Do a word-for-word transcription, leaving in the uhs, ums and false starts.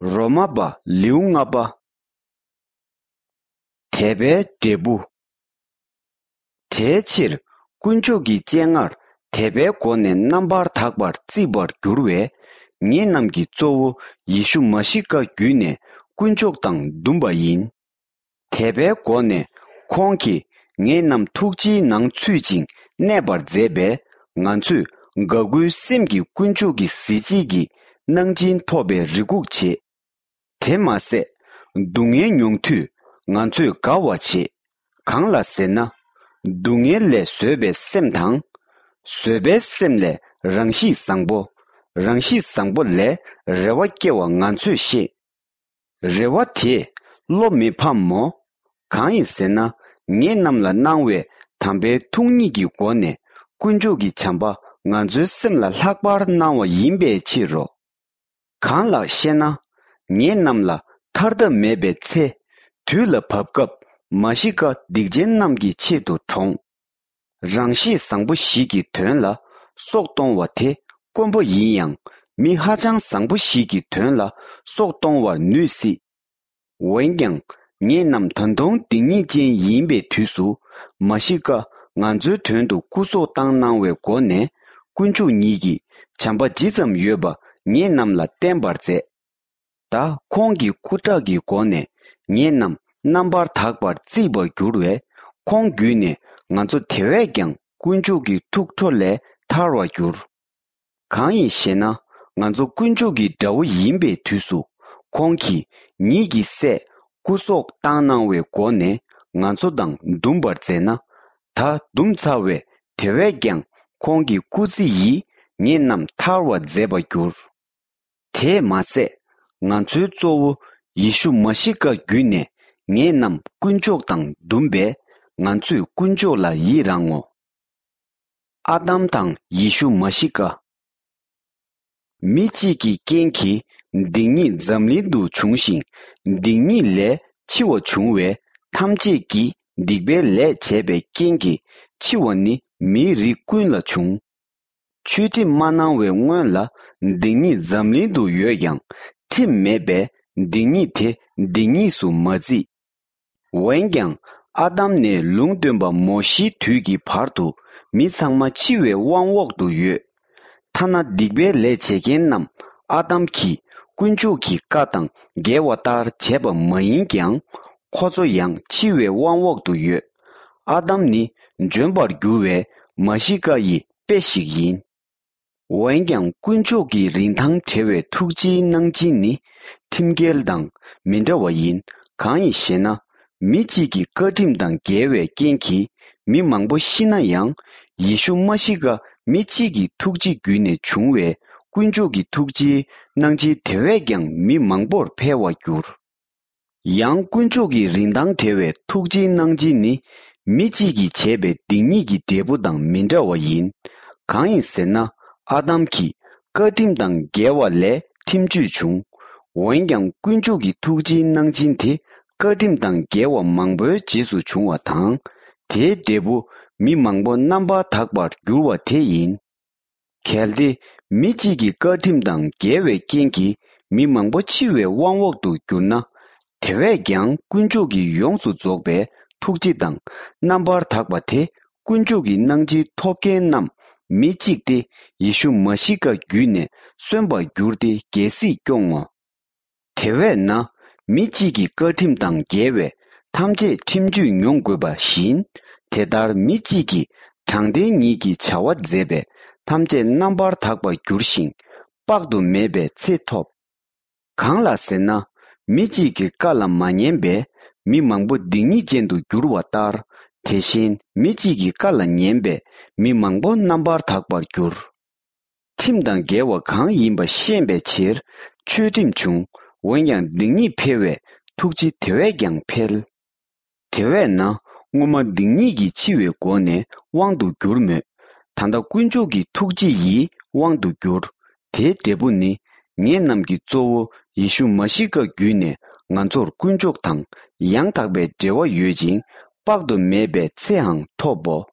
རོ་མ་པ་ལེའུ་ལྔ་པ། དད་པའི་འབྲས་བུ། དེའི་ཕྱིར་དཀོན་མཆོག་གི་སྤྱན་སྔར་དད་པའི་སྒོ་ནས་རྣམ་པར་དག་པར་བརྩིས་པར་འགྱུར་བས། ངེད་རྣམས་ཀྱི་གཙོ་བོ་ཡེ་ཤུ་མ་ཤི་ཀ་བརྒྱུད་ནས་དཀོན་མཆོག་དང་འདུམ་པ་ཡིན། དད་པའི་སྒོ་ནས་ཁོང་གིས་ངེད་རྣམས་ཐུགས་རྗེའི་ནང་ཚུད་ཅིང་གནས་པར་མཛད་པས། ང་ཚོས་དགའ་མགུའི་སེམས་ཀྱིས་དཀོན་མཆོག་གི་གཟི་བརྗིད་ཀྱི་གནང་སྦྱིན་ཐོབ་པའི་རེ་སྒུག་བྱེད། དེ་མ་ཟད། སྡུག་བསྔལ་མྱོང་དུས་ང་ཚོས་དགའ་བར་བྱེད། གང་ལ་ཟེར་ན། སྡུག་བསྔལ་ལས་བཟོད་པའི་སེམས་དང་། བཟོད་པའི་སེམས་ལས་རང་གཤིས་བཟང་པོ། རང་གཤིས་བཟང་པོ་ལས་རེ་བ་སྐྱེ་བ་ང་ཚོས་ཤེས། རེ་བ་དེས་བློ་མི་ཕམ་མོ། གང་ཡིན་ཟེར་ན། ངེད་རྣམས་ལ་གནང་བའི་དམ་པའི་ཐུགས་ཉིད་ཀྱི་སྒོ་ནས་དཀོན་མཆོག་གི་བྱམས་པ་ང་ཚོའི་སེམས་ལ་ལྷག་པར་གནང་བ་ཡིན་པའི་ཕྱིར་རོ། གང་ལགས་ཤེ་ན། ངེད་རྣམས་ལ་ཐར་ཐབས་མེད་པའི་ཚེ་དུས་ལ་བབ་སྐབས། མ་ཤི་ཀ་སྡིག་ཅན་རྣམས་ཀྱི་ཆེད་དུ་གྲོངས། རང་གཤིས་བཟང་པོ་ཞིག་གི་དོན་ལ་སྲོག་གཏོང་བ་དེ་དཀོན་པོ་ཡིན་ཡང་། མི་ཧ་ཅང་བཟང་པོ་ཞིག་གི་དོན་ལ་སྲོག་གཏོང་བར་ནུས་སྲིད། འོན་ཀྱང་། ངེད་རྣམས་ད་དུང་སྡིག་ཉེས་ཅན་ཡིན་པའི་དུས་སུ། མ་ཤི་ཀ་ང་ཚོའི་དོན་དུ་སྐུ་སྲོག་བཏང་གནང་བའི་སྒོ་ནས། དཀོན་མཆོག་ཉིད་ཀྱིས་བྱམས་པ་ཇི་ཙམ་ཡོད་པ་ངེད་རྣམས་ལ་བསྟན་པར་མཛད། ད་ཁོང་གི་སྐུ་ཁྲག་གི་སྒོ་ནས་ངེད་རྣམས་རྣམ་པར་དག་པར་བརྩིས་པར་འགྱུར་བས། ཁོང་བརྒྱུད་ནས་ང་ཚོ་དེ་བས་ཀྱང་དཀོན་མཆོག་གི་ཐུགས་ཁྲོ་ལས་ཐར་བར་འགྱུར། གང་ཡིན་ཞེ་ན། ང་ཚོ་དཀོན་མཆོག་གི་དགྲ་བོ་ཡིན་པའི་དུས་སུ། ཁོང་གིས་ཉིད་ཀྱི་སྲས་སྐུ་སྲོག་བཏང་གནང་བའི་སྒོ་ནས་ང་ཚོ་དང་འདུམ་པར་མཛད་ན། ད་འདུམ་ཚར་བས་དེ་བས་ཀྱང་ཁོང་གི་སྐུ་ཚེ་ཡིས་ངེད་རྣམས་ཐར་བར་མཛད་པར་འགྱུར། དེས་མ་ཟད། ང་ཚོའི་གཙོ་བོ་ཡེ་ཤུ་མ་ཤི་ཀ་བརྒྱུད་ནས་ངེད་རྣམས་དཀོན་མཆོག་དང་འདུམ་པས། ང་ཚོས་དཀོན་མཆོག་ལ་ཡི་རང་ངོ་། ཨ་དམ་དང་ཡེ་ཤུ་མ་ཤི་ཀ། མི་གཅིག་གི་རྐྱེན་གྱིས་སྡིག་ཉེས་འཛམ་གླིང་དུ་བྱུང་ཞིང་། སྡིག་ཉེས་ལས་འཆི་བ་བྱུང་བས། ཐམས་ཅད་ཀྱིས་སྡིག་པའི་ལས་བྱས་པའི་རྐྱེན་གྱིས་འཆི་བ་ནི་མིའི་རིགས་ཀུན་ལ་བྱུང་། ཆོས་ཁྲིམས་མ་གནང་བའི་སྔོན་ལ་སྡིག་ཉེས་འཛམ་གླིང་དུ་ཡོད་ཀྱང་། ཁྲིམས་མེད་པས་སྡིག་ཉེས་དེ་སྡིག་ཉེས་སུ་མ་བརྩིས། འོན་ཀྱང་། ཨ་དམ་ནས་ལུང་སྟོན་པ་མོ་ཤེའི་དུས་ཀྱི་བར་དུ་མི་ཚང་མ་འཆི་བའི་དབང་འོག་ཏུ་ཡོད། ཐ་ན་སྡིག་པའི་ལས་བྱེད་མཁན་རྣམས་ཨ་དམ་གྱིས་དཀོན་མཆོག་གི་བཀའ་དང་འགལ་བ་ལྟར་བྱས་པ་མ་ཡིན་ཀྱང་། ཁོ་ཚོ་ཡང་འཆི་བའི་དབང་འོག་ཏུ་ཡོད། ཨ་དམ་ནི་འབྱོན་པར་འགྱུར་བའི་མ་ཤི་ཀ་ཡི་དཔེ་ཞིག་ཡིན། འོན་ཀྱང་། དཀོན་མཆོག་གི་རིན་ཐང་བྲལ་བའི་ཐུགས་རྗེའི་གནང་སྦྱིན་ནི་ཁྲིམས་འགལ་དང་མི་འདྲ་བ་ཡིན། གང་ཡིན་ཞེ་ན། མི་གཅིག་གི་བཀའ་ཁྲིམས་དང་འགལ་བའི་རྐྱེན་གྱིས་མི་མང་པོ་ཤི་ན་ཡང་། ཡེ་ཤུ་མ་ཤི་ཀ་མི་གཅིག་གི་ཐུགས་རྗེ་བརྒྱུད་ནས་བྱུང་བས། དཀོན་མཆོག་གི་ཐུགས་རྗེའི་གནང་སྦྱིན་དེ་བས་ཀྱང་མི་མང་པོར་འཕེལ་བར་འགྱུར། ཡང་། དཀོན་མཆོག་གི་རིན་ཐང་བྲལ་བའི་ཐུགས་རྗེའི་གནང་སྦྱིན་ནི། མི་གཅིག་གིས་བྱས་པའི་སྡིག་ཉེས་ཀྱི་འབྲས་བུ་དང་མི་འདྲ་བ་ཡིན། གང་ཡིན་ཟེར་ན། ཨ་དམ་གྱིས་བཀའ་ཁྲིམས་དང་འགལ་བ་ལས་ཁྲིམས་གཅོད་བྱུང་། འོན་ཀྱང་། དཀོན་མཆོག་གི་ཐུགས་རྗེའི་གནང་སྦྱིན་དེ། བཀའ་ཁྲིམས་དང་འགལ་བ་མང་པོའི་རྗེས་སུ་བྱུང་བ་དང་། དེའི་འབྲས་བུ་མི་མང་པོ་རྣམ་པར་དག་པར་འགྱུར་བ་དེ་ཡིན། གལ་ཏེ། མི་གཅིག་གི་བཀའ་ཁྲིམས་དང་འགལ་བའི་རྐྱེན་གྱིས་མི་མང་པོ་འཆི་བའི་དབང་འོག་ཏུ་གྱུར་ན། དེ་བས་ཀྱང་དཀོན་མཆོག་གི་ཡོངས་སུ་རྫོགས་པའི་ཐུགས་རྗེ་དང་རྣམ་པར་དག་པ་དེ། དཀོན་མཆོག་གི་གནང་སྦྱིན་ཐོབ་མཁན་རྣམས་མི་གཅིག་སྟེ། ཡེ་ཤུ་མ་ཤི་ཀ་བརྒྱུད་ནས་གསོན་པར་འགྱུར་ཏེ་རྒྱལ་སྲིད་སྐྱོང་ངོ་། དེ་བས་ན། མི་གཅིག་གི་བཀའ་ཁྲིམས་དང་འགལ་བས་ཐམས་ཅད་ཁྲིམས་གཅོད་མྱོང་དགོས་པ་བཞིན། དེ་ལྟར་མི་གཅིག་གིས་དྲང་བདེན་ཉིད་ཀྱི་བྱ་བ་མཛད་པས་ཐམས་ཅད་རྣམ་པར་དག་པར་འགྱུར་ཞིང་། དཔག་ཏུ་མེད་པའི་ཚེ་ཐོབ། གང་ལགས་ཟེར་ན། མི་གཅིག་གི་བཀའ་ལ་མ་ཉན་པས་མི་མང་པོ་སྡིག་ཉེས་ཅན་དུ་འགྱུར་བ་ལྟར། དེ་བཞིན་མི་གཅིག་གི་བཀའ་ལ་ཉན་པས་མི་མང་པོ་རྣམ་པར་དག་པར་འགྱུར། ཁྲིམས་དང་འགལ་བ་གང་ཡིན་པ་ཤེས་པའི་ཕྱིར་ཆོས་ཁྲིམས་བྱུང་། འོན་ཀྱང་སྡིག་ཉེས་འཕེལ་བས་ཐུགས་རྗེ་དེ་བས་ཀྱང་འཕེལ། དེ་བས་ན། སྔོན་མ་སྡིག་ཉེས་ཀྱིས་འཆི་བའི་སྒོ་ནས་དབང་དུ་གྱུར་མོད། ད་ལྟ་དཀོན་མཆོག་གི་ཐུགས་རྗེ་ཡིས་དབང་དུ་གྱུར། དེའི་འབྲས་བུ་ནི། ངེད་རྣམས་ཀྱི་གཙོ་བོ་ཡེ་ཤུ་མ་ཤི་ཀ་བརྒྱུད་ནས་ང་ཚོར་དཀོན་མཆོག་དང་ཡང་དག་པའི་འབྲེལ་བ་ཡོད་ཅིང་། དཔག་ཏུ་མེད་པའི་ཚེའང་ཐོབ་བོ།